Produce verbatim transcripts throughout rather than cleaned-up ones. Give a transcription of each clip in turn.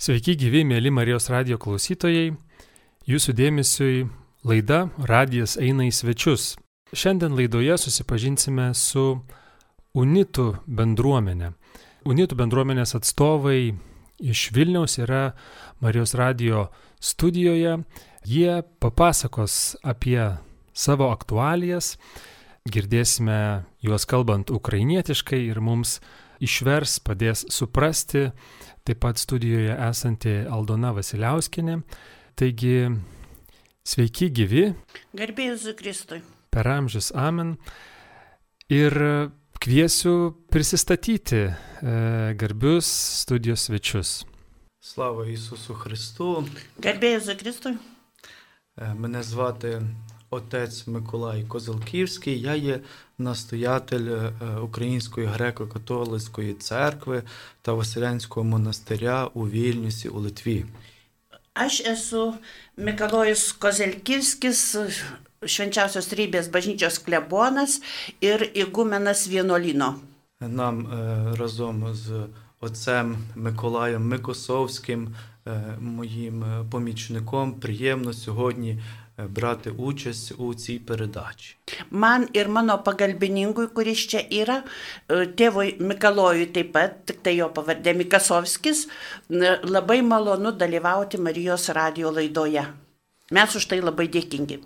Sveiki gyvi, mėly Marijos radijo klausytojai. Jūsų dėmesiui laida Radijas eina į svečius. Šiandien laidoje susipažinsime su Unitų bendruomenė. Unitų bendruomenės atstovai iš Vilniaus yra Marijos radijo studijoje. Jie papasakos apie savo aktualijas. Girdėsime juos kalbant ukrainietiškai ir mums išvers, padės suprasti. Taip pat studijoje esanti Aldona Vasiliauskienė. Taigi, sveiki gyvi. Garbė Jėzui Kristui. Per amžius amen. Ir kviesiu prisistatyti e, garbius studijos svečius. Слава Ісусу Христу. Garbė Jėzui Kristui. Е, Мене звати отець Миколай Козелківський. Я є настоятель е, Української греко-католицької церкви та Василянського монастиря у Вільнюсі у Литві. Aš esu Mikalojus Kozelkivskis, Švenčiausios Trejybės bažnyčios klebonas ir igumenas vienuolyno. Нам е, разом з отцем Миколаєм Микосовським, е, моїм е, помічником, приємно сьогодні е, брати участь у цій передачі. Man ir mano pagalbininkui, kuris čia yra, e, tėvui Mikalojui taip pat, tik tai jo pavardė Mikasovskis, n- labai malonu dalyvauti Marijos radijo laidoje. Mes už tai labai dėkingi.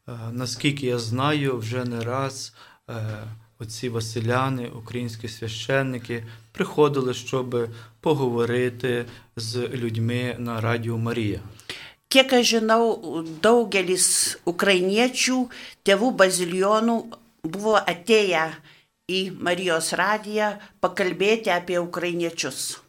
Е, Наскільки я знаю, вже не раз е, отці Василяни, українські священники, приходили, щоб поговорити з людьми на Радіо Марія. Kiek aš žinau, daugelis ukrainiečių, tėvų bazilijonų buvo atėję į Marijos radiją pakalbėti apie ukrainiečius.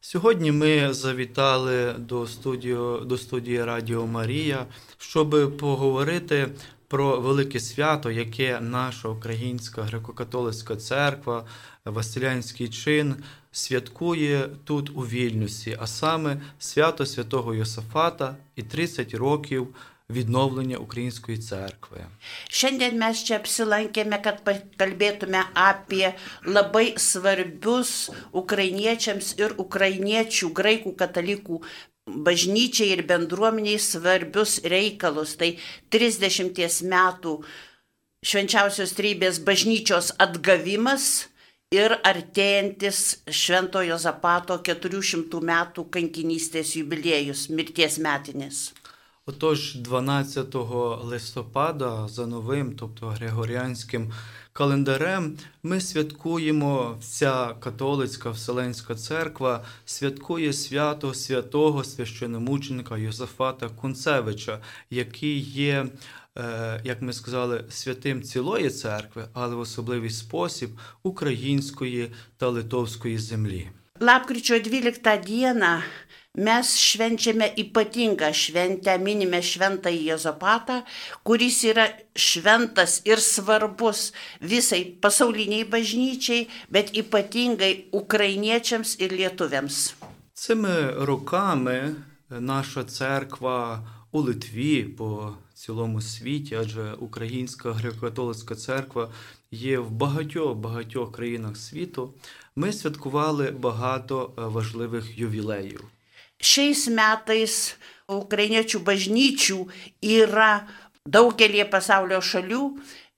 Сьогодні ми завітали до студії, до студії Радіо Марія, щоб поговорити про велике свято, яке наша Українська греко-католицька церква, Василянський чин, святкує тут у Вільнюсі, а саме свято Святого Йосафата і тридцять років відновлення Української церкви. Šiandien mes čia apsilankėme, kad pakalbėtume apie labai svarbius ukrainiečiams ir ukrainiečių, graikų katalikų bažnyčiai ir bendruomeniai svarbius reikalus. Tai trisdešimties metų Švenčiausios Trejybės bažnyčios atgavimas ir artėjantis Šventojo Zapato keturių šimtų metų kankinystės jubiliejus, mirties metinis. Отож, дванадцятого листопада за новим, тобто григоріанським календарем, ми святкуємо, вся католицька Вселенська церква святкує свято святого священомученика Йосафата Кунцевича, який є, е, як ми сказали, святим цілої церкви, але в особливий спосіб української та литовської землі. Lapkričio dvyliktą dieną mes švenčiame ypatingą šventę, minime šventąjį Jozapatą, kuris yra šventas ir svarbus visai pasauliniai bažnyčiai, bet ypatingai ukrainiečiams ir lietuviams. Цими роками наша церква у Литві, по цілому світі, адже Українська греко-католицька церква є в багатьох-багатьох країнах світу, ми святкували багато важливих ювілеїв. Šiais metais ukrainiečių bažnyčių yra daugelį pasaulio šalių,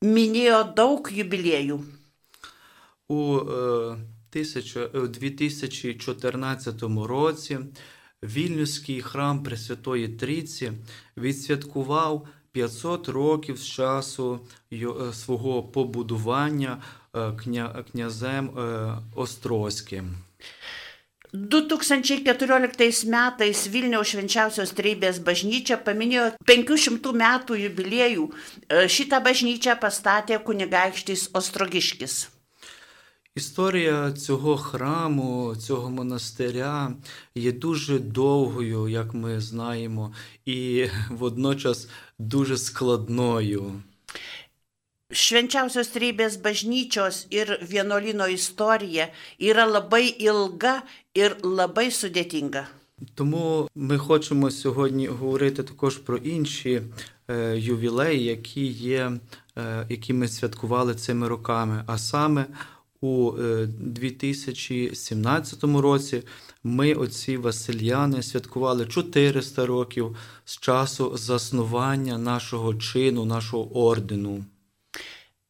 minėjo daug jubiliejų. У е, тисяча- е, дві тисячі чотирнадцятому році Вільнюський храм Пресвятої Трійці відсвяткував п'ятсот років з часу йо- е, свого побудування е, кня- князем е, Острозьким. du tūkstančiai keturioliktais metais Vilniaus Švenčiausios Trejybės bažnyčia paminėjo penkių šimtų metų jubiliejų. E, Šitą bažnyčią pastatė kunigaikštis Ostrogiškis. Історія цього храму, цього монастиря є дуже довгою, як ми знаємо, і водночас дуже складною. Švenčiausios Trejybės bažnyčios ir vienuolyno istorija yra labai ilga ir labai sudėtinga. Тому ми хочемо сьогодні говорити також про інші е, ювілеї, які є, е, які ми святкували цими роками. А саме у е, дві тисячі сімнадцятому році ми, отці Васильяни, святкували чотириста років з часу заснування нашого чину, нашого ордену.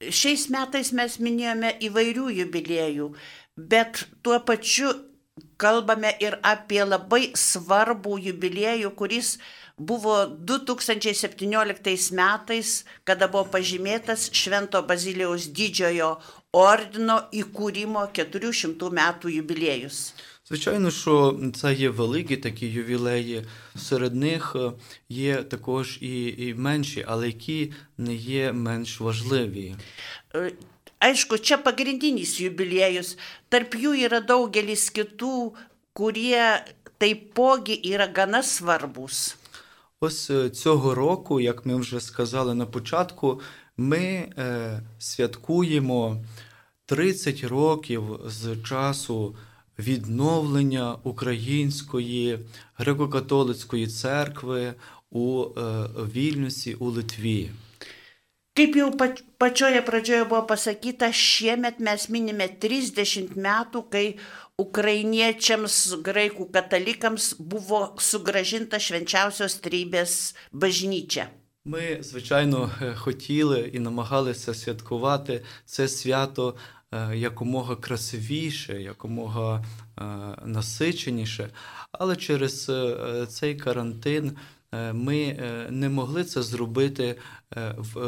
Šiais metais mes minėjome įvairių jubiliejų, bet tuo pačiu kalbame ir apie labai svarbų jubiliejų, kuris buvo du tūkstančiai septynioliktais metais, kada buvo pažymėtas Švento Bazilijaus Didžiojo ordino įkūrimo keturių šimtų metų jubiliejus. Звичайно, що це є великі такі ювілеї, серед них є також і, і менші, але які не є менш важливі. Aišku, čia pagrindinis jubiliejus, tarp jų yra daugelis kitų, kurie taipogi yra gana svarbus. Ось цього року, як ми вже сказали на початку, ми е, святкуємо тридцять років з часу відновлення Української греко-католицької церкви у е, Вільнюсі, у Литві. Kaip jau pačioje pradžioje buvo pasakyta, šiemet mes minime trisdešimt metų, kai ukrainiečiams, graikų katalikams buvo sugrąžinta Švenčiausios Trejybės bažnyčia. Ми, звичайно, хотіли і намагалися святкувати це свято якомога красивіше, якомога насиченіше, але через цей карантин ми не могли це зробити в,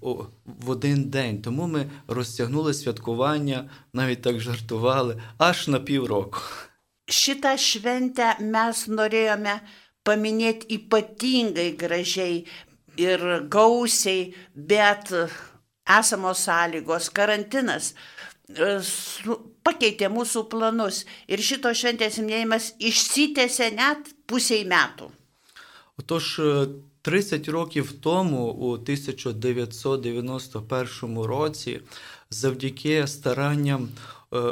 в, в один день. Тому ми розтягнули святкування, навіть так жартували, аж на півроку. Šitą šventę mes norėjome paminėti ypatingai gražiai ir gausiai, bet esamos sąlygos, karantinas pakeitė mūsų planus ir šito šventės minėjimas išsitęsė net pusiai metų. Отож, тридцять років тому, у тисяча дев'ятсот дев'яносто першому році, завдяки старанням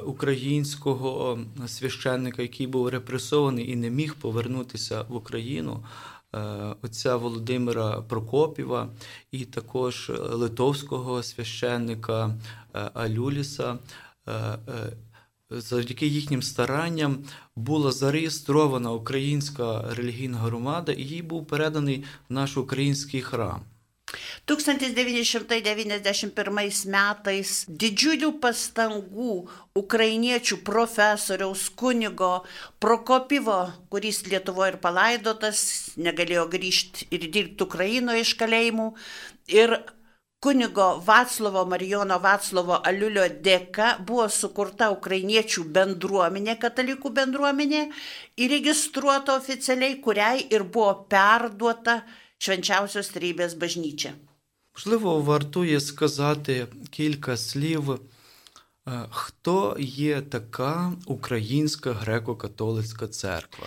українського священника, який був репресований і не міг повернутися в Україну, отця Володимира Прокопєва, і також литовського священника Алюліса, завдяки їхнім старанням була зареєстрована українська релігійна громада, і їй був переданий наш український храм. tūkstantis devyni šimtai devyniasdešimt pirmais metais didžiulių pastangų ukrainiečių profesoriaus kunigo Prokopjevo, kuris Lietuvoje ir palaidotas, negalėjo grįžti ir dirbti Ukrainoje iš kalėjimų, ir kunigo Vaclovo Marijono Vaclovo Aliulio dėka buvo sukurta ukrainiečių bendruomenė, katalikų bendruomenė, įregistruota oficialiai, kuriai ir buvo perduota Švenčiausios Trejybės bažnyčia. Можливо, вартує сказати кілька слів, хто є така Українська греко-католицька церква.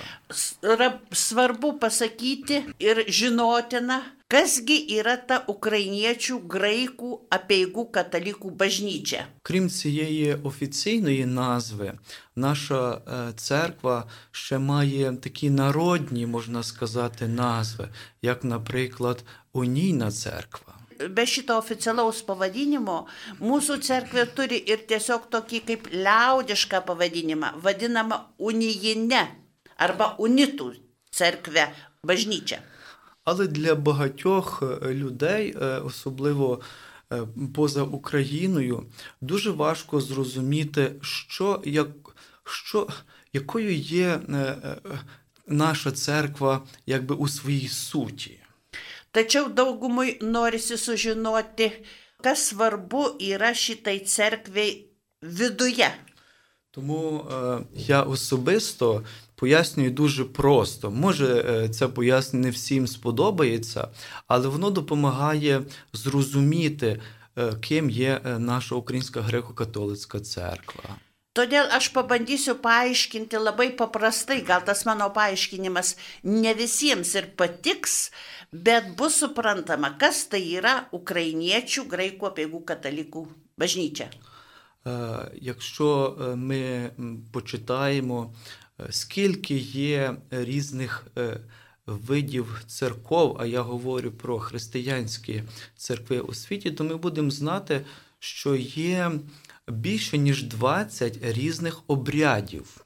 Svarbu pasakyti ir žinotina, kasgi yra ta ukrainiečių, graikų, apeigų katalikų bažnyčia. Крім цієї офіційної назви, наша церква ще має такі народні, можна сказати, назви, як, наприклад, Унійна церква. Be šito oficialaus pavadinimo, mūsų cerkvė turi ir tiesiog tokį kaip liaudišką pavadinimą, vadinamą unijinę arba unitų cerkvę bažnyčią. Але для багатьох людей, особливо поза Україною, дуже важко зрозуміти, що, як, що, якою є наша церква якби у своїй суті. Tačiau daugumui norisi sužinoti, kas svarbu yra šitai cerkvei viduje. Тому е, я особисто пояснюю дуже просто. Може, е, це пояснення не всім сподобається, але воно допомагає зрозуміти, е, ким є наша Українська греко-католицька церква. Todėl aš pabandysiu paaiškinti labai paprastai, gal tas mano paaiškinimas ne visiems ir patiks, bet bus suprantama, kas tai yra ukrainiečių, graikų, apeigų katalikų bažnyčia. Якщо ми почитаємо, скільки є різних видів церков, а я говорю про християнські церкви у світі, то ми будемо знати, що є більше ніж двадцять різних обрядів.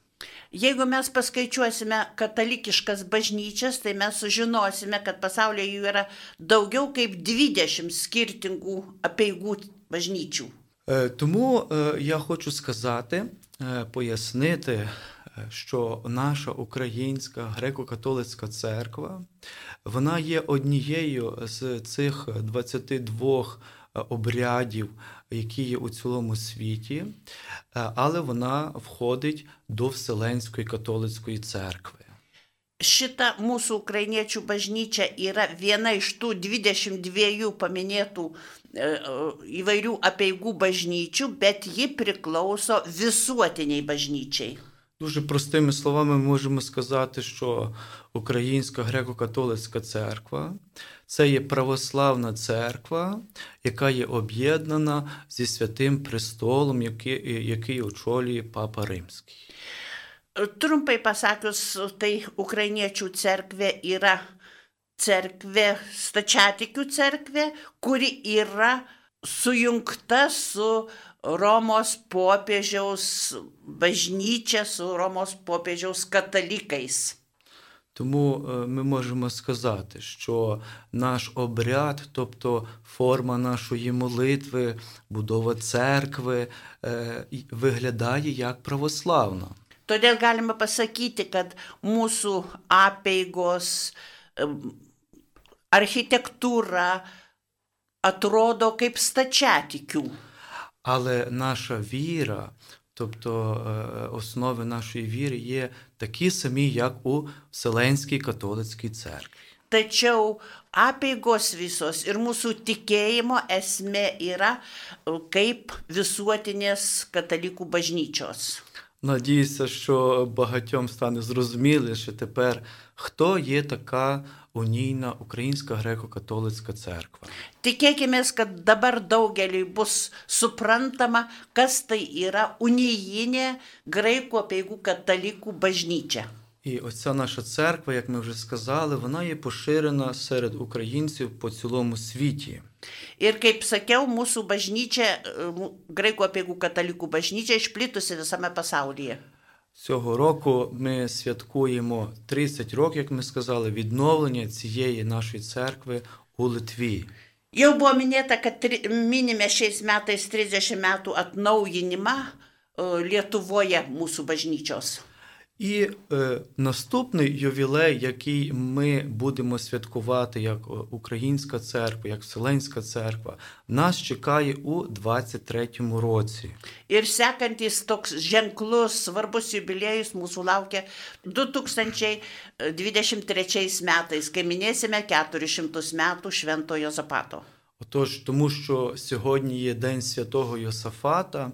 Jeigu mes paskaičiuosime katalikiškas bažnyčias, tai mes sužinosime, kad pasaulyje jų yra daugiau kaip dvidešimt скіртингų apeigų bažnyčių. Тому я хочу сказати, пояснити, що наша українська греко-католицька церква, вона є однією з цих двадцяти двох обрядів, які є у цілому світі, але вона входить до Вселенської католицької церкви. Šita mūsų ukrainiečių bažnyčia yra viena iš tų dvidešimt dviejų paminėtų e, įvairių apeigų bažnyčių, bet ji priklauso visuotiniai bažnyčiai. Дуже простими словами можемо сказати, що Українська греко-католицька церква – це є православна церква, яка є об'єднана зі Святим Престолом, який, який очолює Папа Римський. Trumpai pasakius, tai ukrainiečių cerkvė yra cerkvė, stačiatikių cerkvė, kuri yra sujungta su Romos popiežiaus bažnyčia, su Romos popiežiaus katalikais. Тому ми можемо сказати, що наш обряд, тобто форма нашої молитви, будова церкви, виглядає як православна. Todėl galime pasakyti, kad mūsų apeigos, architektūra atrodo kaip stačiatikių. Але наша віра, тобто основи нашої віри є такі самі, як у Вселенській католицькій церкві. Tačiau apeigos visos ir mūsų tikėjimo esmė yra kaip visuotinės katalikų bažnyčios. Надіюся, що багатьом стане зрозуміліше тепер, хто є така унійна Українська греко-католицька церква. Tikėkimės, kad dabar daugeliui bus suprantama, kas tai yra unijinė graikų apeigų katalikų bažnyčia. І оця наша церква, як ми вже сказали, вона є поширена серед українців по цілому світі. Ir kaip sakiau, mūsų bažnyčia, graikų apeigų katalikų bažnyčia išplitusi visame pasaulyje. Цього року ми святкуємо тридцять років, як ми сказали, відновлення цієї нашої церкви у Литві. Jau buvo minėta, kad minime šiais metais trisdešimt metų atnaujinimą Lietuvoje mūsų bažnyčios. І е, наступний ювілей, який ми будемо святкувати як Українська церква, як Вселенська церква, нас чекає у двадцять третьому році. Ir sekantis toks ženklus, svarbus jubiliejus mūsų laukia du tūkstančiai dvidešimt trečiais metais, kai minėsime keturis šimtus metų Švento Jozapato. Отож, тому що сьогодні є День Святого Йосафата,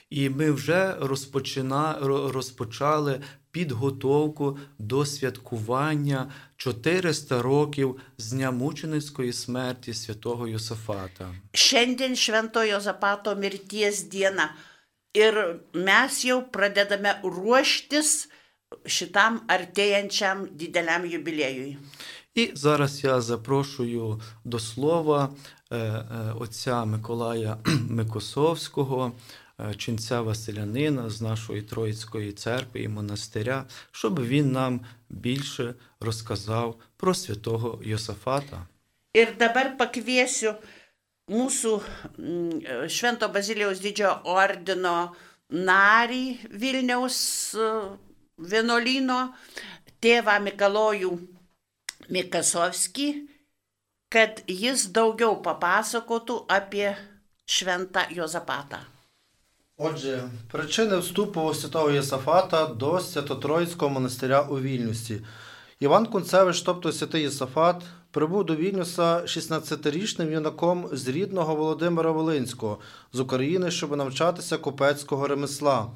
і ми вже розпочина, розпочали підготовку до святкування чотириста років з дня мученицької смерті Святого Йосафата. Šiandien Švento Jozapato mirties diena ir mes jau pradedame ruoštis šitam artėjančiam dideliam jubiliejui. І зараз я запрошую до слова отця Миколая Микосовського, ченця Василянина з нашої Троїцької церкви і монастиря, щоб він нам більше розказав про святого Йосафата. Ir dabar pakviesiu mūsų Švento Bazilijaus didžiojo ordino narį Vilniaus vienuolyno, tėvą Mikalojų Mikasovskį, kad jis daugiau papasakotų apie Šventą Jozapatą. Отже, причини вступу святого Йосафата до Свято-Троїцького монастиря у Вільнюсі. Іван Кунцевич, тобто святий Йосафат, прибув до Вільнюса шістнадцятирічним юнаком з рідного Володимира Волинського, з України, щоб навчатися купецького ремесла.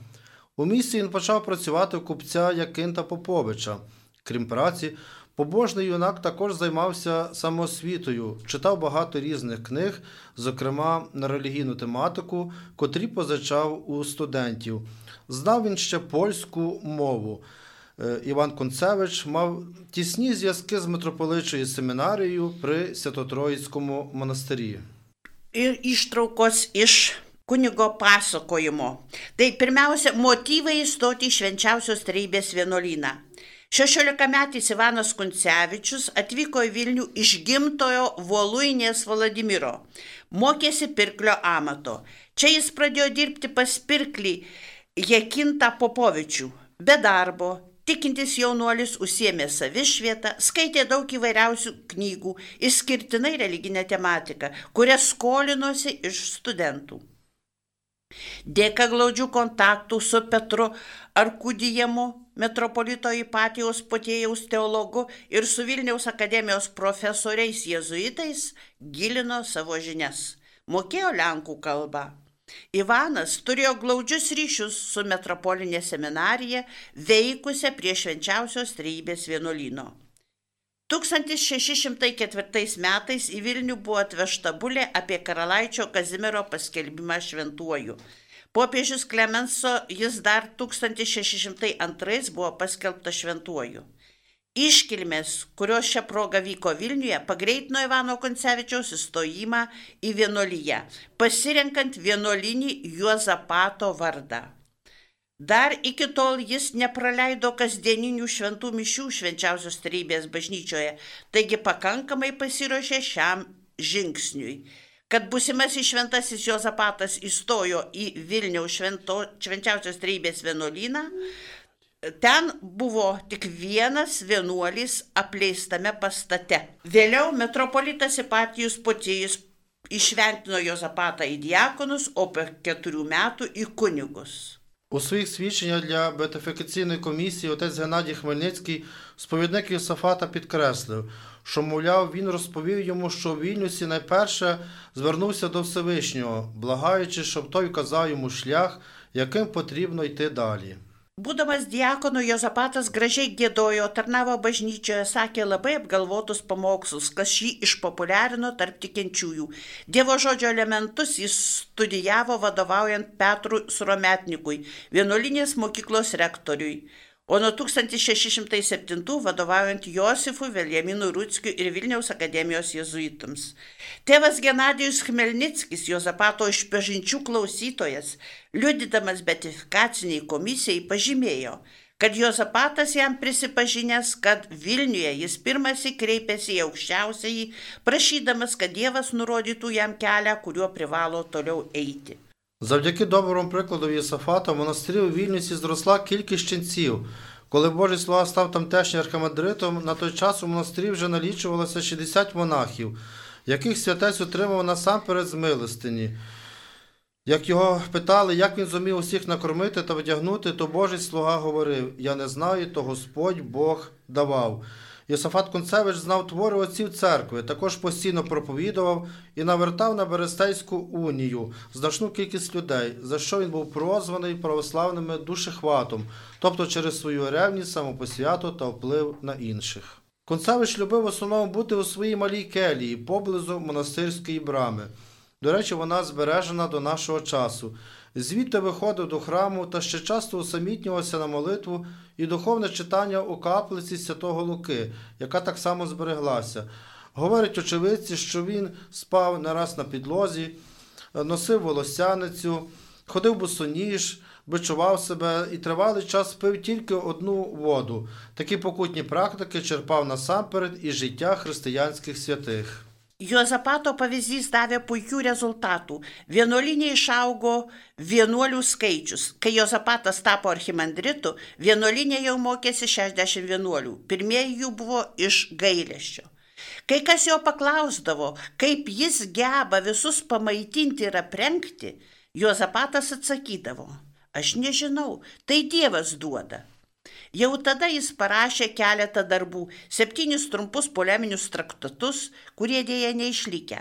У місті він почав працювати у купця Якинта Поповича. Крім праці, побожний юнак також займався самоосвітою, читав багато різних книг, зокрема на релігійну тематику, котрі позичав у студентів. Знав він ще польську мову. Іван Кунцевич мав тісні зв'язки з митрополитчою семінарією при Свято-Троїцькому монастирі. Ir ištraukos iš kunigo pasakojimo. Tai pirmiausia, motyvai įstoti į Švenčiausios Trejybės vienuolyną. šešiolikametis Ivanas Kuncevičius atvyko į Vilnių iš gimtojo Voluinės Vladimiro. Mokėsi pirklio amato. Čia jis pradėjo dirbti pas pirklį Jekintą Popovičių. Be darbo, tikintis jaunuolis užsiėmė savišvietą, skaitė daug įvairiausių knygų, išskirtinai religinę tematiką, kurias skolinosi iš studentų. Dėka glaudžių kontaktų su Petru Arkudijamu, metropolito Ipatijaus Potėjaus teologu ir su Vilniaus akademijos profesoriais jėzuitais gilino savo žinias. Mokėjo lenkų kalbą. Ivanas turėjo glaudžius ryšius su metropolinė seminarija, veikusia prie Švenčiausios Trejybės vienuolyno. tūkstantis šeši šimtai ketvirtais metais į Vilnių buvo atvežta bulė apie karalaičio Kazimiero paskelbimą šventuoju. Popiežius Klemenso jis dar tūkstantis šeši šimtai antrais buvo paskelbtas šventuoju. Iškilmės, kurios šią progą vyko Vilniuje, pagreitino Ivano Kuncevičiaus įstojimą į vienuoliją, pasirenkant vienuolinį Juozapato vardą. Dar iki tol jis nepraleido kasdieninių šventų mišių Švenčiausios Trejybės bažnyčioje, taigi pakankamai pasiruošė šiam žingsniui. Kad būsimasis šventasis Juozapatas įstojo į Vilniaus švento, Švenčiausios Trejybės vienuolyną, ten buvo tik vienas vienuolis apleistame pastate. Vėliau metropolitas Ipatijus Potėjus išventino Juozapatą į diakonus, o po keturių metų į kunigus. У своїх свідченнях для беатифікаційної комісії отець Геннадій Хмельницький, сповідник Йосафата, підкреслив, що, мовляв, він розповів йому, що у Вільнюсі найперше звернувся до Всевишнього, благаючи, щоб той вказав йому шлях, яким потрібно йти далі. Būdamas diakonu, Juozapatas gražiai giedojo, tarnavo bažnyčioje, sakė labai apgalvotus pamokslus, kas jį išpopuliarino tarp tikinčiųjų. Dievo žodžio elementus jis studijavo vadovaujant Petrui Surometnikui, vienuolinės mokyklos rektoriui, o nuo tūkstantis šeši šimtai septintų vadovaujant Josifui Veljaminui Rutskiui ir Vilniaus akademijos jėzuitams. Tėvas Genadijus Chmelnickis, Juozapato išpažinčių klausytojas, liudydamas beatifikaciniai komisijai, pažymėjo, kad Juozapatas jam prisipažinęs, kad Vilniuje jis pirmąsyk kreipėsi į aukščiausiąjį, prašydamas, kad Dievas nurodytų jam kelią, kuriuo privalo toliau eiti. Завдяки доброму прикладу Йосафата в монастирі у Вільнюсі зросла кількість ченців. Коли Божий слуга став тамтешнім архимандритом, на той час у монастирі вже налічувалося шістдесят монахів, яких святець отримав насамперед з милостині. Як його питали, як він зумів усіх накормити та вдягнути, то Божий слуга говорив: «Я не знаю, то Господь Бог давав». Йосафат Кунцевич знав твори отців церкви, також постійно проповідував і навертав на Берестейську унію значну кількість людей, за що він був прозваний православними душехватом, тобто через свою ревність, самопосвяту та вплив на інших. Кунцевич любив в основному бути у своїй малій келії, поблизу монастирської брами. До речі, вона збережена до нашого часу. Звідти виходив до храму та ще часто усамітнювався на молитву і духовне читання у каплиці Святого Луки, яка так само збереглася. Говорять очевидці, що він спав не раз на підлозі, носив волосяницю, ходив босоніж, бичував себе і тривалий час пив тільки одну воду. Такі покутні практики черпав насамперед із життя християнських святих. Juozapato pavyzdys davė puikių rezultatų. Vienuolinė išaugo vienuolių skaičius. Kai Juozapatas tapo archimandritu, vienuolinė jau mokėsi šešiasdešimt vienuolių. Pirmieji jų buvo iš gailesčio. Kai kas jo paklausdavo, kaip jis geba visus pamaitinti ir aprengti, Juozapatas atsakydavo: aš nežinau, tai Dievas duoda. Jau tada jis parašė keletą darbų, septynis trumpus poleminius traktatus, kurie dėja neišlikę,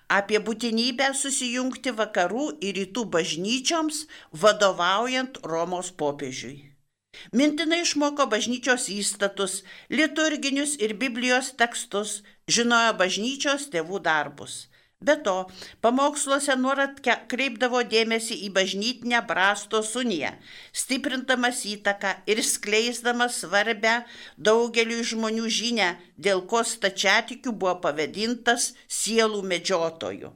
apie būtinybę susijungti vakarų ir rytų bažnyčioms, vadovaujant Romos popiežiui. Mintinai išmoko bažnyčios įstatus, liturginius ir Biblijos tekstus, žinojo bažnyčios tėvų darbus. Be to, pamoksluose nuolat kreipdavo dėmesį į bažnytinę brastos uniją, stiprindamas įtaką ir skleisdamas svarbę daugeliui žmonių žinią, dėl ko stačiatikių buvo pavadintas sielų medžiotoju.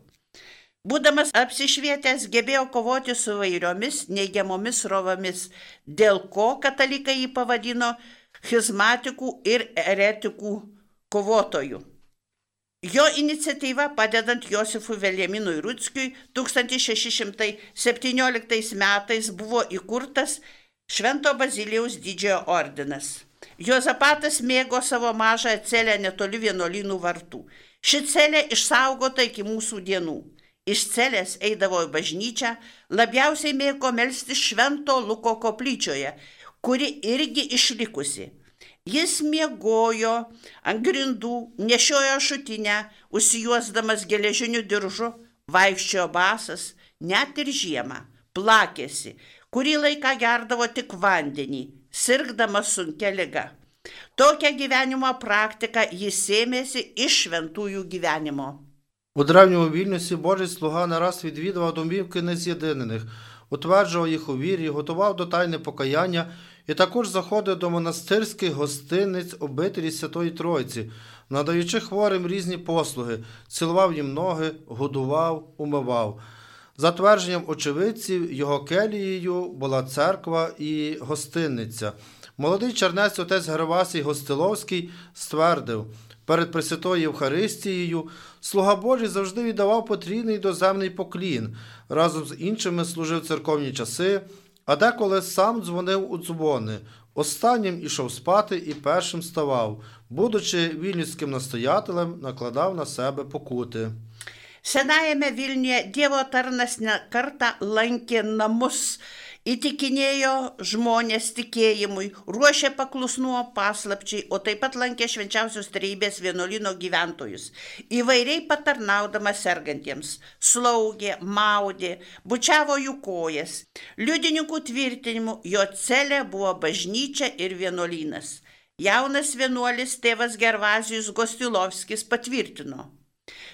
Būdamas apsišvietęs, gebėjo kovoti su vairiomis neigiamomis rovomis, dėl ko katalikai jį pavadino schizmatikų ir eretikų kovotojų. Jo iniciatyva, padedant Josifui Veljaminui Rutskiui, tūkstantis šeši šimtai septynioliktais metais buvo įkurtas Švento Bazilijaus didžiojo ordinas. Juozapatas mėgo savo mažą celę netoli vienuolynų vartų. Ši celė išsaugota iki mūsų dienų. Iš celės eidavo į bažnyčią, labiausiai mėgo melstis Švento Luko koplyčioje, kuri irgi išlikusi. Jis miegojo ant grindų, nešiojo šutinę, užsijuosdamas geležiniu diržu, vaikščiojo basas, net ir žiemą, plakėsi, kurį laiką gerdavo tik vandenį, sirgdamas sunkia liga. Tokią gyvenimo praktiką jis сємєся із швентую gyvenimo. У древньому Вільнюсі Божий слуга не раз відвідував домівки нез'єднаних, утверджував їх у вірі, готував до тайни покаяння і також заходив до монастирських гостиниць обителі Святої Тройці, надаючи хворим різні послуги, цілував їм ноги, годував, умивав. За твердженням очевидців, його келією була церква і гостиниця. Молодий чернець отець Гервасій Гостиловський ствердив: перед Пресвятою Євхаристією слуга Божий завжди віддавав потрійний доземний поклін, разом з іншими служив церковні часи, а деколи сам дзвонив у дзвони. Останнім ішов спати і першим ставав, будучи вільнюським настоятелем, накладав на себе покути. Senajame Vilniuje Dievo tarnas ne kartą lankė namus, įtikinėjo žmonės tikėjimui, ruošė paklusnumo paslapčiai, o taip pat lankė švenčiausios trejybės vienuolyno gyventojus, įvairiai patarnaudamas sergantiems, slaugė, maudė, bučiavo jų kojas. Liudininkų tvirtinimu jo celė buvo bažnyčia ir vienuolynas. Jaunas vienuolis tėvas Gervazijus Gostilovskis patvirtino: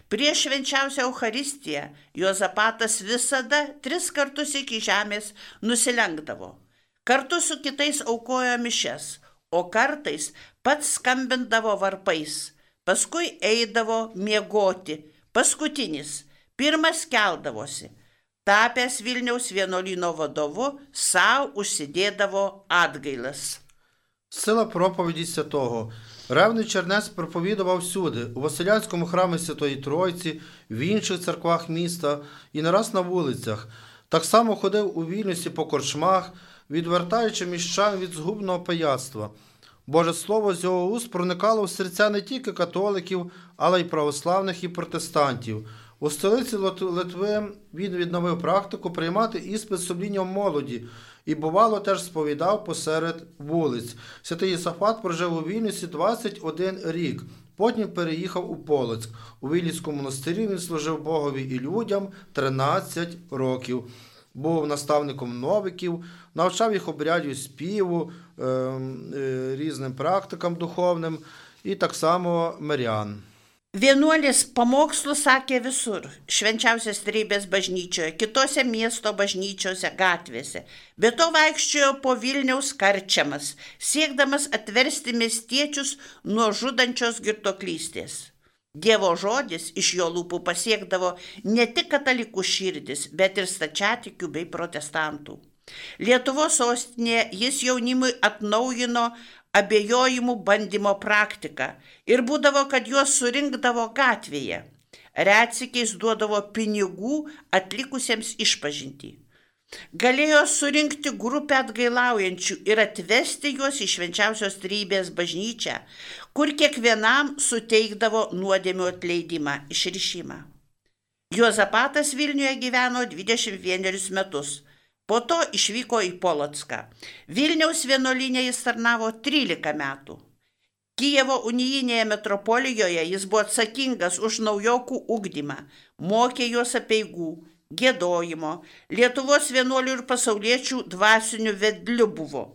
prieš švenčiausią Eucharistiją Juozapatas visada tris kartus iki žemės nusilenkdavo. Kartu su kitais aukojo mišias, o kartais pats skambindavo varpais. Paskui eidavo miegoti. Paskutinis, pirmas keldavosi. Tapęs Vilniaus vienuolyno vadovu, sau užsidėdavo atgailas. Сила проповіді святого. Ревний чернець проповідував всюди, у Василянському храмі Святої Тройці, в інших церквах міста і не раз на вулицях. Так само ходив у Вільнюсі по корчмах, відвертаючи міщан від згубного пияцтва. Боже Слово з його уст проникало в серця не тільки католиків, але й православних і протестантів. У столиці Литви він відновив практику приймати іспит сумлінням молоді і, бувало, теж сповідав посеред вулиць. Святий Єсафат прожив у Вільнюсі двадцять один рік, потім переїхав у Полоцьк. У Вільнюському монастирі він служив Богові і людям тринадцять років. Був наставником новиків, навчав їх обрядів співу, е, е, різним практикам духовним і так само мирян. Vienuolis pamokslų sakė visur, švenčiausios trejybės bažnyčioje, kitose miesto bažnyčiose, gatvėse. Be to vaikščiojo po Vilniaus karčiamas, siekdamas atversti miestiečius nuo žudančios girtuoklystės. Dievo žodis iš jo lūpų pasiekdavo ne tik katalikų širdis, bet ir stačiatikių bei protestantų. Lietuvos sostinėje jis jaunimui atnaujino abejojimų bandymo praktiką ir būdavo, kad juos surinkdavo gatvėje. Retsykiais duodavo pinigų atlikusiems išpažintį. Galėjo surinkti grupę atgailaujančių ir atvesti juos į švenčiausios trejybės bažnyčią, kur kiekvienam suteikdavo nuodėmių atleidimą, išrišimą. Juozapatas Vilniuje gyveno dvidešimt vienerius metus. Po to išvyko į Polocką. Vilniaus vienuolyne jis tarnavo trylika metų. Kijevo unijinėje metropolijoje jis buvo atsakingas už naujokų ugdymą, mokė juos apeigų, giedojimo, Lietuvos vienuolių ir pasauliečių dvasinių vedlių buvo.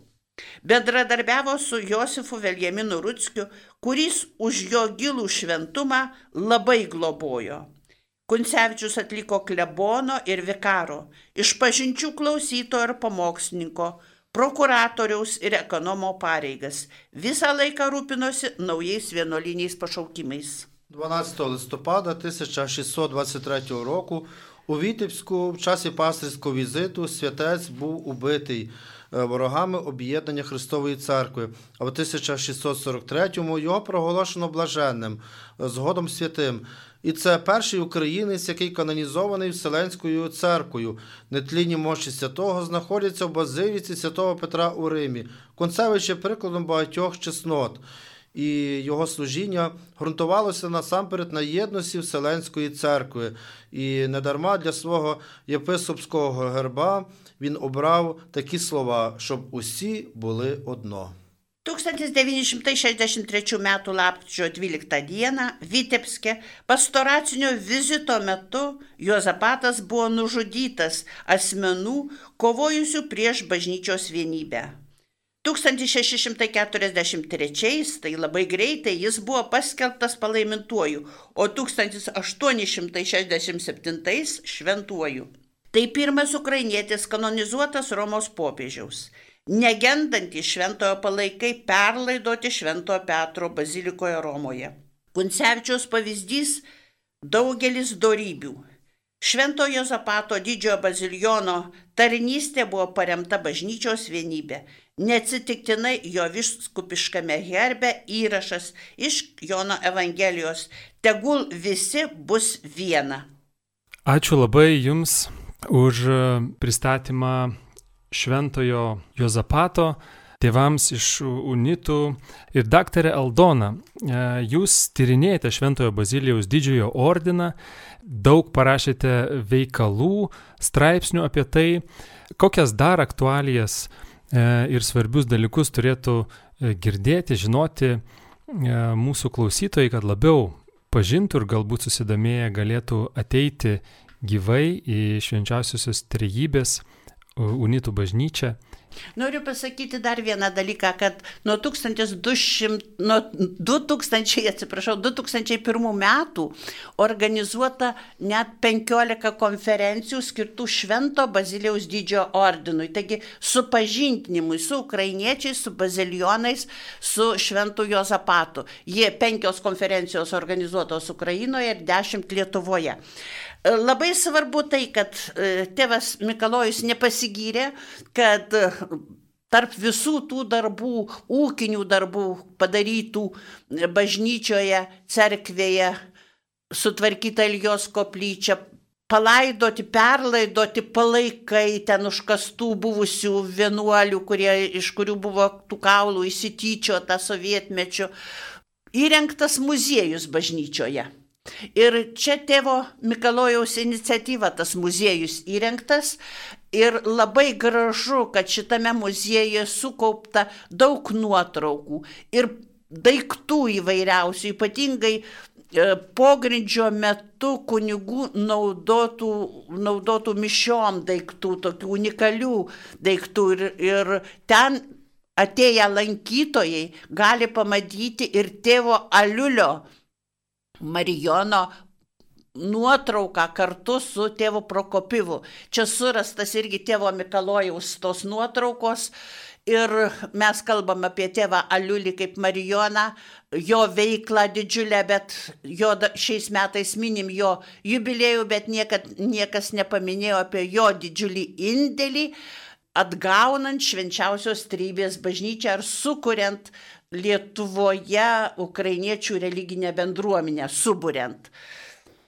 Bendradarbiavo su Josifu Veljaminu Rutskiu, kuris už jo gilų šventumą labai globojo. Kuncevičius atliko klebono ir vikaro, išpažinčių klausytojo ir pamokslininko, prokuratoriaus ir ekonomo pareigas. Visą laiką rūpinosi naujais vienuoliniais pašaukimais. дванадцятого листопада тисяча шістсот двадцять третього року У Вітебську в часі пастирського візиту святець був убитий ворогами об'єднання Христової Церкви, а в тисяча шістсот сорок третьому його проголошено блаженним, згодом святим. І це перший українець, який канонізований Вселенською церквою. Нетлінні мощі святого знаходяться в базиліці святого Петра у Римі. Концевич є прикладом багатьох чеснот. І його служіння ґрунтувалося насамперед на єдності Вселенської церкви. І недарма для свого єпископського герба він обрав такі слова, щоб усі були одно. tūkstantis devyni šimtai šešiasdešimt trečių metų lapkričio dvyliktą dieną Vitebske pastoracinio vizito metu Juozapatas buvo nužudytas asmenų kovojusių prieš bažnyčios vienybę. tūkstantis šeši šimtai keturiasdešimt trečiais, tai labai greitai, jis buvo paskelbtas palaimintuoju, o tūkstantis aštuoni šimtai šešiasdešimt septintais šventuoju. Tai pirmas ukrainietis kanonizuotas Romos popiežiaus. Negendantys šventojo palaikai perlaidoti Šventojo Petro bazilikoje Romoje. Kuncevičiaus pavyzdys daugelis dorybių. Šventojo Juozapato didžiojo baziliono tarnystė buvo paremta bažnyčios vienybė. Neatsitiktinai jo vyskupiškame herbe įrašas iš Jono Evangelijos: tegul visi bus viena. Ačiū labai Jums už pristatymą Šventojo Juozapato tėvams iš unitų. Ir daktarė Aldona, jūs tyrinėjate Šventojo Bazilijaus didžiojo ordiną, daug parašėte veikalų, straipsnių apie tai, kokias dar aktualijas ir svarbius dalykus turėtų girdėti, žinoti mūsų klausytojai, kad labiau pažintų ir galbūt susidomėję galėtų ateiti gyvai į švenčiausiosios trejybės unitų bažnyčią. Noriu pasakyti dar vieną dalyką, kad nuo du tūkstančiai pirmų metų organizuota net penkiolika konferencijų skirtų Švento Bazilijaus didžiojo ordinui. Taigi supažindinimui su ukrainiečiais, su bazilionais, su Šventu Juozapatu. Jie penkios konferencijos organizuotos Ukrainoje ir dešimt Lietuvoje. Labai svarbu tai, kad tėvas Mikalojus nepasigyrė, kad tarp visų tų darbų, ūkinių darbų padarytų bažnyčioje, cerkvėje, sutvarkyta Iljos koplyčia, palaidoti, perlaidoti palaikai ten užkastų buvusių vienuolių, kurie, iš kurių buvo tų kaulų įsityčiota sovietmečiu, įrengtas muziejus bažnyčioje. Ir čia tėvo Mikalojaus iniciatyva tas muziejus įrengtas ir labai gražu, kad šitame muziejuje sukaupta daug nuotraukų ir daiktų įvairiausių, ypatingai pogrindžio metu kunigų naudotų, naudotų mišiom daiktų, tokių unikalių daiktų ir, ir ten atėję lankytojai gali pamatyti ir tėvo Aliulio Marijono nuotrauką kartu su tėvu Prokopivu. Čia surastas irgi tėvo Mikalojaus tos nuotraukos ir mes kalbam apie tėvą Aliulį kaip Marijoną, jo veiklą didžiulę, bet jo šiais metais minim jo jubiliejų, bet niekad, niekas nepaminėjo apie jo didžiulį indėlį, atgaunant švenčiausios trejybės bažnyčią ar sukuriant Lietuvoje ukrainiečių religinę bendruomenę, suburiant.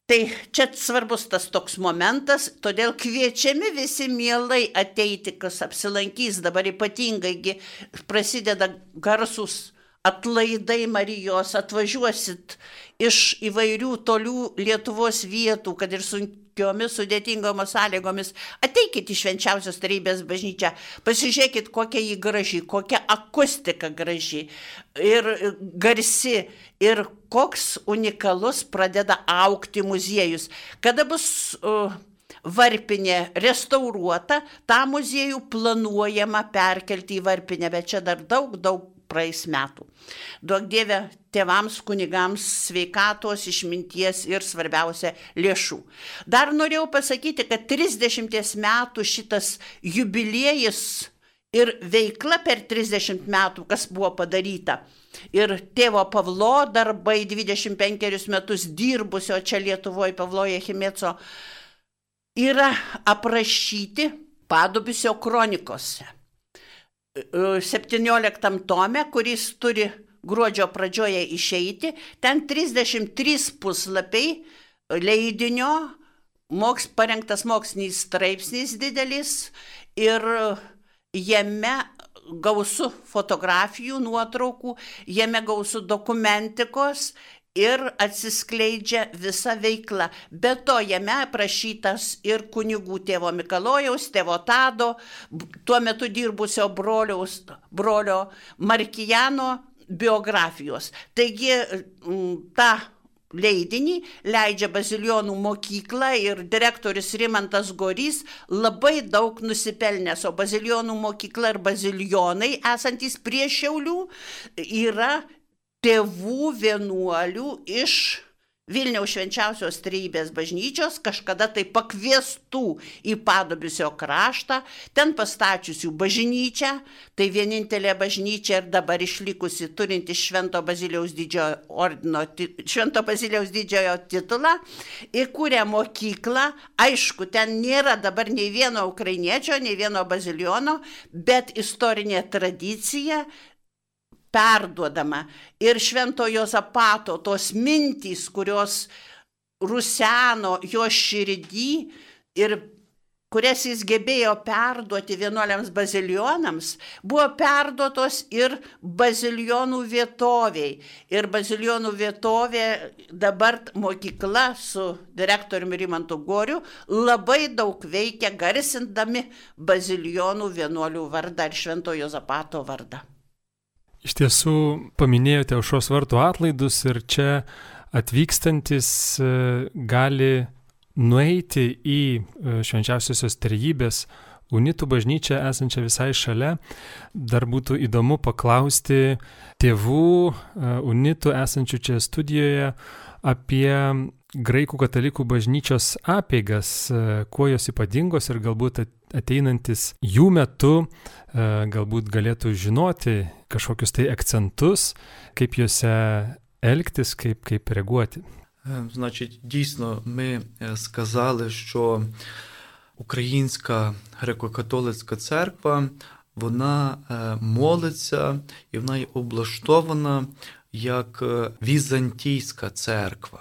Tai čia svarbus tas toks momentas, todėl kviečiami visi mielai ateiti, kas apsilankys, dabar ypatingai prasideda garsus atlaidai Marijos, atvažiuosit iš įvairių tolių Lietuvos vietų, kad ir sunkiomis sudėtingomis sąlygomis, ateikit į švenčiausios trejybės bažnyčią, pasižiūrėkit, kokia jį graži, kokia akustika graži ir garsi ir koks unikalus pradeda augti muziejus. Kada bus uh, Varpinė restauruota, tą muziejų planuojama perkelti į Varpinę, bet čia dar daug, daug praeis metų. Duok Dieve tėvams, kunigams sveikatos, išminties ir svarbiausia lėšų. Dar norėjau pasakyti, kad trisdešimties metų šitas jubiliejus ir veikla per trisdešimt metų, kas buvo padaryta. Ir tėvo Pavlo darbai dvidešimt penkerius metus dirbusio čia Lietuvoje Pavlo Jechimeco yra aprašyti Padubysio kronikose. septynioliktam tome, kuris turi gruodžio pradžioje išeiti, ten trisdešimt trys puslapiai leidinio, moks, parengtas mokslinis straipsnis didelis ir jame gausu fotografijų, nuotraukų, jame gausu dokumentikos ir atsiskleidžia visa veikla. Be to, jame aprašytas ir kunigų tėvo Mikalojaus, tėvo Tado, tuo metu dirbusio broliaus, brolio Markijano biografijos. Taigi, tą leidinį leidžia Bazilijonų mokykla ir direktorius Rimantas Gorys labai daug nusipelnęs, o Bazilijonų mokykla ir Bazilijonai, esantys prie Šiaulių, yra tėvų vienuolių iš Vilniaus Švenčiausios Trejybės bažnyčios, kažkada tai pakviestų į Padubysio kraštą, ten pastačiusių bažnyčią, tai vienintelė bažnyčia ir dabar išlikusi turinti Švento Bazilijaus didžiojo ordino, Švento Bazilijaus didžiojo titulą, įkūrė mokyklą. Aišku, ten nėra dabar nei vieno ukrainiečio, nei vieno bazilijono, bet istorinė tradicija perduodama. Ir Švento Juozapato tos mintys, kurios ruseno jo širdį ir kurias jis gebėjo perduoti vienuoliams bazilijonams, buvo perduotos ir bazilijonų vietoviai. Ir bazilijonų vietovė dabar mokykla su direktoriumi Rimantu Goriu labai daug veikia, garsindami bazilijonų vienuolių vardą ir Švento Juozapato vardą. Iš tiesų paminėjote Aušros vartų atlaidus ir čia atvykstantis gali nueiti į Švenčiausiosios Trejybės unitų bažnyčią esančią visai šalia. Dar būtų įdomu paklausti tėvų unitų esančių čia studijoje apie graikų katalikų bažnyčios apeigas, kuo jos ypatingos ir galbūt ateinantis jų metu galbūt galėtų žinoti kažkokius tai akcentus, kaip juose elgtis, kaip, kaip реагувати. Значить, дійсно, ми сказали, що Українська греко-католицька церква, вона молиться і вона є облаштована як візантійська церква.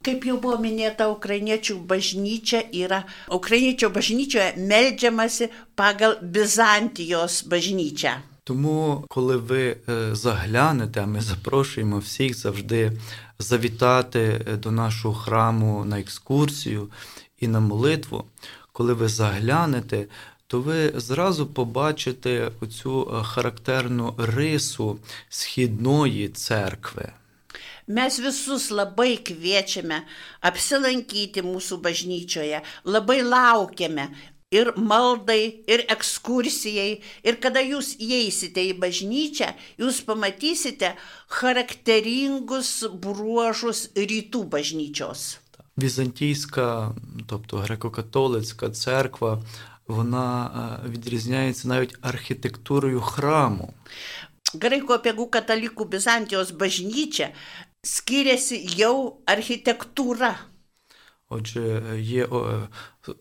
Kaip jau buvo minėta, ukrainiečių bažnyčia yra, ukrainiečių bažnyčioje meldžiamasi pagal Bizantijos bažnyčią. Тому, коли ви заглянете, а ми запрошуємо всіх завжди завітати до нашого храму на екскурсію і на молитву, коли ви заглянете, то ви зразу побачите оцю характерну рису східної церкви. Mes visus labai kviečiame apsilankyti mūsų bažnyčioje, labai laukiame ir maldai, ir ekskursijai. Ir kada jūs įeisite į bažnyčią, jūs pamatysite характеринgus bruožus rytų bažnyčios. Візантійська, тобто греко-католицька церква, вона відрізняється навіть архітектурою храму. Graikų apeigų katalikų Bizantijos bažnyčia skiriasi jau архітектура. Отже, є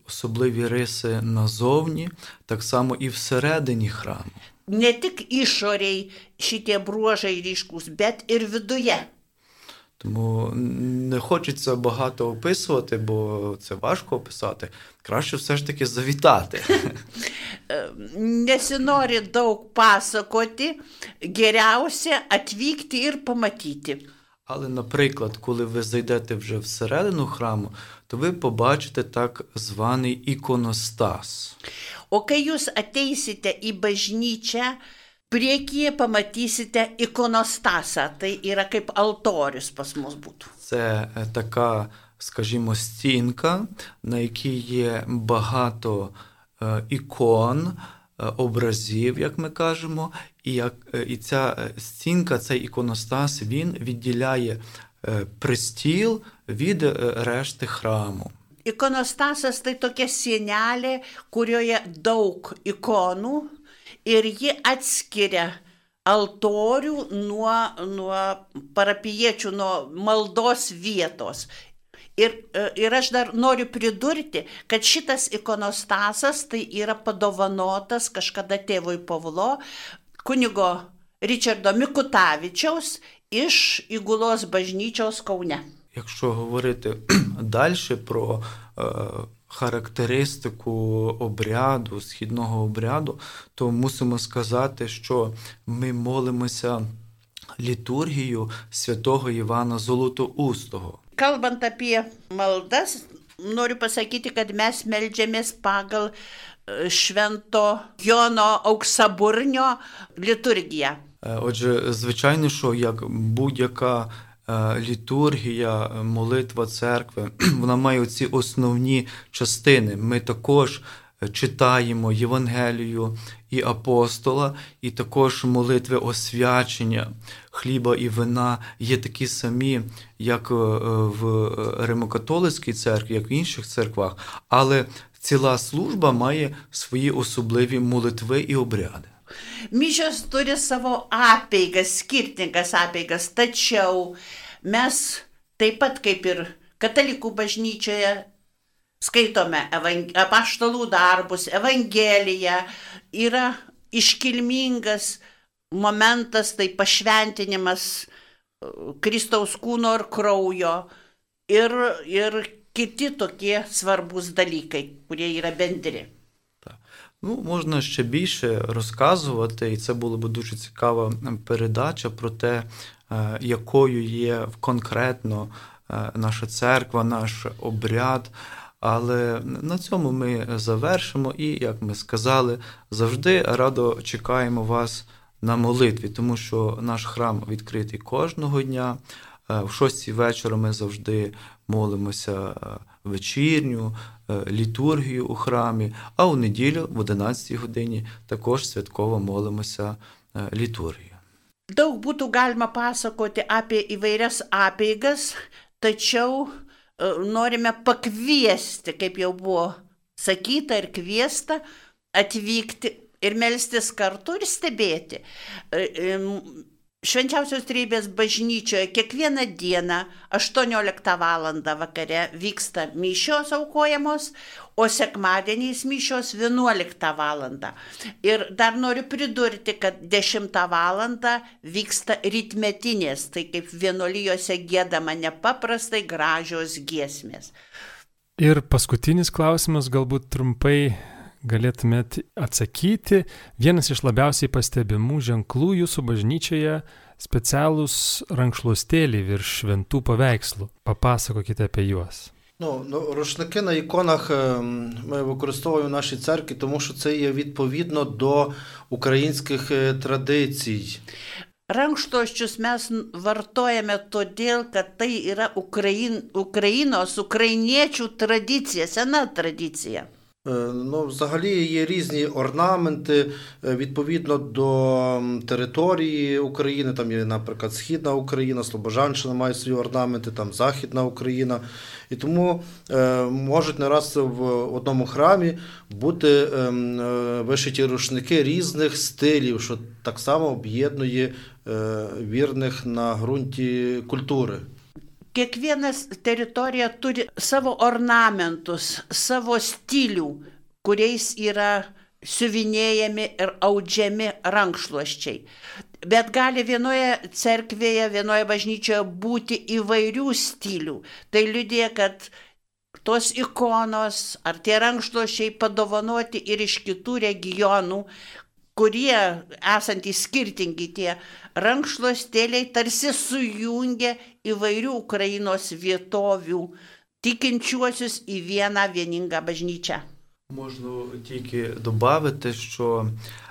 особливі риси назовні, так само і всередині храму. Не tik išoriai šitie bruožai ryškūs, bet ir viduje. Тому не хочеться багато описувати, бо це важко описати. Краще все ж таки завітати. Nesinori daug pasakoti, geriausia atvykti ir pamatyti. Але, наприклад, коли ви зайдете вже всередину храму, то ви побачите так званий іконостас. O kai jūs ateisite į bažnyčią, priekyje pamatysite ikonostasą, tai yra kaip altorius pas mus būtų. Це така, скажімо, стінка, на якій є багато е, ікон, е, образів, як ми кажемо, і, як, е, і ця стінка, цей іконостас, він відділяє е, престіл від е, решти храму. Ikonostasas tai tokia sienelė, kurioje daug ikonų ir ji atskiria altorių nuo, nuo parapijiečių, nuo maldos vietos. Ir, ir aš dar noriu pridurti, kad šitas ikonostasas tai yra padovanotas kažkada tėvui Pavlo, kunigo Річарdo Mikutavičiaus iš Įgulos bažnyčios Kaune. Якщо говорити далі про е, характеристику обряду, східного обряду, то мусимо сказати, що ми молимося літургію святого Івана Золотоустого. Kalbant apie maldas, noriu pasakyti, kad mes meldžiamės pagal švento Jono Auksaburnio liturgiją. Отже, звичайно, що як будь-яка літургія, молитва церкви, вона має оці основні частини. Ми також читаємо Євангелію і апостола, і також молитви освячення хліба і вина є такі самі, як в Римо-католицькій церкві, як в інших церквах, але ціла служба має свої особливі молитви і обряди. Mišios turi savo apeigas, skirtingas apeigas, tačiau mes taip pat kaip ir katalikų bažnyčioje skaitome apaštalų darbus, Evangeliją, yra iškilmingas momentas, tai pašventinimas Kristaus kūno ir kraujo ir, ir kiti tokie svarbus dalykai, kurie yra bendri. Ну, можна ще більше розказувати, і це була б дуже цікава передача про те, якою є конкретно наша церква, наш обряд. Але на цьому ми завершимо і, як ми сказали, завжди радо чекаємо вас на молитві, тому що наш храм відкритий кожного дня. В шостій вечора ми завжди молимося вечірню, літургію у храмі, а у неділю в одинадцятій годині також святково молимося літургію. Daug būtų galima pasakoti apie įvairias apeigas, tačiau norime pakviesti, kaip jau buvo sakyta ir kviesta, atvykti ir melstis kartu ir stebėti. Švenčiausios Trejybės bažnyčioje kiekvieną dieną aštuonioliktą valandą vakare vyksta mišios aukojamos, o sekmadieniais mišios vienuoliktą valandą. Ir dar noriu pridurti, kad dešimtą valandą vyksta rytmetinės, tai kaip vienuolijose giedama nepaprastai gražios giesmės. Ir paskutinis klausimas, galbūt trumpai galėtumėt atsakyti. Vienas iš labiausiai pastebimų ženklų jūsų bažnyčioje specialūs rankšluostėliai virš šventų paveikslų. Papasakokite apie juos. Ну, ну, рушники на іконах ми використовуємо в нашій церкві, тому що це є відповідно до українських традицій. Rankšluosčius mes vartojame todėl, kad tai yra Ukrain, Ukrainos, ukrainiečių tradicija, sena tradicija. Ну, взагалі є різні орнаменти відповідно до території України. Там є, наприклад, Східна Україна, Слобожанщина має свої орнаменти, там Західна Україна. І тому е, можуть не раз в одному храмі бути е, вишиті рушники різних стилів, що так само об'єднує е, вірних на ґрунті культури. Kiekviena teritorija turi savo ornamentus, savo stilių, kuriais yra siuvinėjami ir audžiami rankšluosčiai. Bet gali vienoje cerkvėje, vienoje bažnyčioje būti įvairių stilių. Tai liudija, kad tos ikonos ar tie rankšluosčiai padovanoti ir iš kitų regionų, kurie esantys skirtingi tie rankšluostėliai tarsi sujungia įvairių Ukrainos vietovių tikinčiuosius į vieną vieningą bažnyčią. Можу тільки додати, що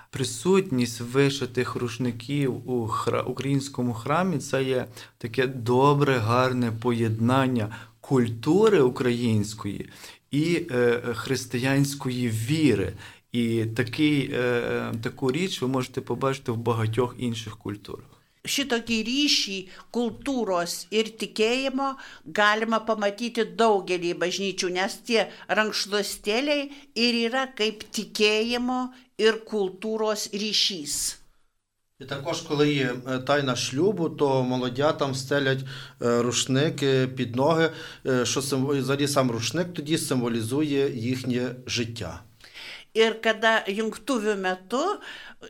присутність вишитих рушників у хра... українському храмі – це є таке добре, гарне поєднання культури української і е, християнської віри. І такий, е, таку річ ви можете побачити в багатьох інших культурах. Šitokį ryšį kultūros ir tikėjimo galima pamatyti daugelį bažnyčių, nes tie rankšluostėliai ir yra kaip tikėjimo ir kultūros ryšys. І також, коли є тайна шлюбу, то молодятам стелять рушники під ноги, що взагалі сам рушник тоді символізує їхнє життя. Ir kada jungtuvių metu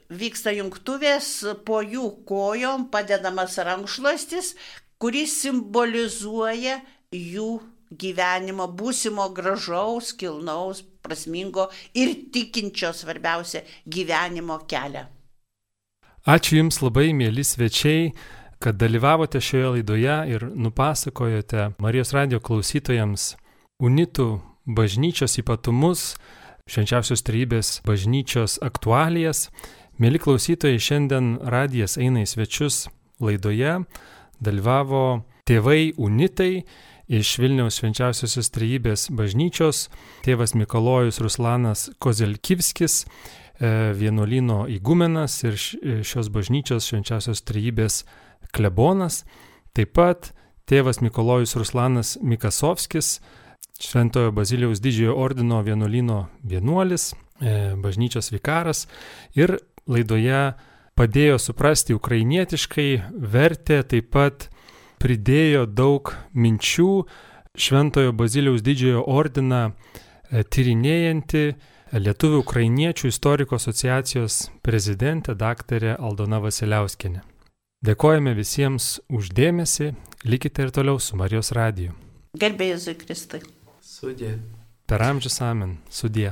vyksta jungtuvės, po jų kojom padedamas rankšluostis, kuris simbolizuoja jų gyvenimo, būsimo gražaus, kilnaus, prasmingo ir tikinčio, svarbiausia, gyvenimo kelią. Ačiū Jums labai, mėly svečiai, kad dalyvavote šioje laidoje ir nupasakojote Marijos radijo klausytojams unitų bažnyčios ypatumus, Švenčiausios Trejybės bažnyčios aktualijas. Mėly klausytojai, šiandien radijas eina į svečius laidoje. Dalyvavo tėvai unitai iš Vilniaus Švenčiausiosios Trejybės bažnyčios, tėvas Mikalojus Ruslanas Kozelkivskis, vienuolyno įgumenas ir šios bažnyčios Švenčiausios Trejybės klebonas. Taip pat tėvas Mikalojus Ruslanas Mikasovskis, Šventojo Bazilijaus didžiojo ordino vienuolyno vienuolis, bažnyčios vikaras ir laidoje padėjo suprasti ukrainietiškai, vertė, taip pat pridėjo daug minčių Šventojo Bazilijaus didžiojo ordiną tyrinėjanti Lietuvių ukrainiečių istorikų asociacijos prezidentė daktarė Aldona Vasiliauskienė. Dėkojame visiems už dėmesį, likite ir toliau su Marijos radiju. Garbė Jėzui Kristui. Sudie. Per amžius amen. Sudie.